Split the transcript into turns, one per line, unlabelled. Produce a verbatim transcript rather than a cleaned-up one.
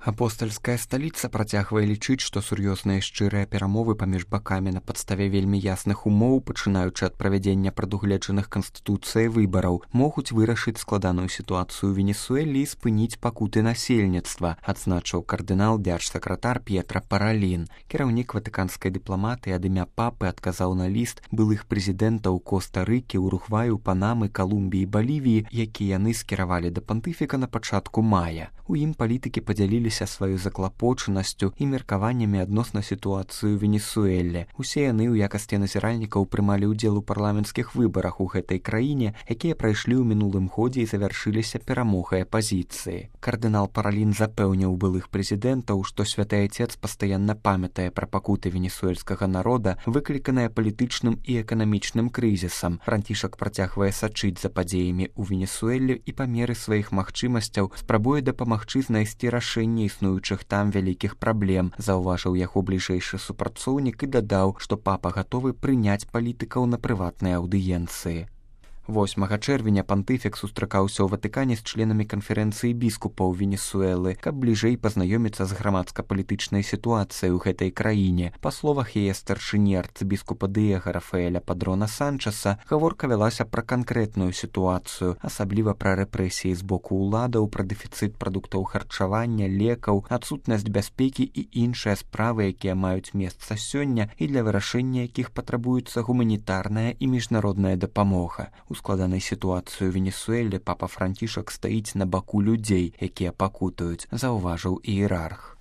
Апостальская сталіца працягвае лічыць, што сур'ёзныя шчырыя перамовы паміж бакамі на падставе вельмі ясных умоў, пачынаючы ад правядзення прадугледжаных канстытуцыяй выбараў, могуць вырашыць складаную сітуацыю ў Венесуэлі і спыніць пакуты насельніцтва, адзначыў кардынал дзяржсакратар П'етра Паралін. Кіраўнік ватыканскай дыпламатыі ад імя папы адказаў на ліст былых прэзідэнтаў Коста-Рыкі, Уругваю, Панамы, Калумбіі, Балівіі, які яны скіравалі да пантыфіка на пачатку мая. У ім палітыкі падзяліліся сваю заклапочанасцю і меркаваннямі адносна сітуацыю ў Венесуэле. Усе яны ў якасці назіральнікаў прымалі ўдзел у парламенцкіх выбарах у гэтай краіне, якія прайшлі ў мінулым годзе і завяршыліся перамогай апазіцыі. Кардынал Паралін запэўніў былых прэзідэнтаў, што святы айцец пастаянна памятае пра пакуты венесуэльскага народа, выкліканыя палітычным і эканамічным крызісам. Францішак працягвае сачыць за падзеямі ў Венесуэле і па меры сваіх магчымасцяў спрабуе дапамагчы знайсці рашэнне існуючых там вялікіх праблем, заўважыў яго бліжэйшы супрацоўнік і дадаў, што папа гатовы прыняць палітыкаў на прыватнай аўдыенцыі. восьмага чэрвеня пантыфік сустракаўся ў Ватыкане з членамі канферэнцыі біскупаў Венесуэлы, каб бліжэй пазнаёміцца з грамадска-палітычнай сітуацыяй у гэтай краіне. Па словах яе старшыні арцыбіскупа Дыега Рафаэля Падрона Санчаса, гаворка вялася пра канкрэтную сітуацыю, асабліва пра рэпрэсіі з боку ўладаў, пра дэфіцыт прадуктаў харчавання, лекаў, адсутнасць бяспекі і іншыя справы, якія маюць месца сёння і для вырашэння якіх патрабуецца гуманітарная і міжнародная дапамога. У складанай сітуацыі ў Венесуэле папа Францішак стаіць на баку людзей, якія пакутаюць, заўважыў іерарх.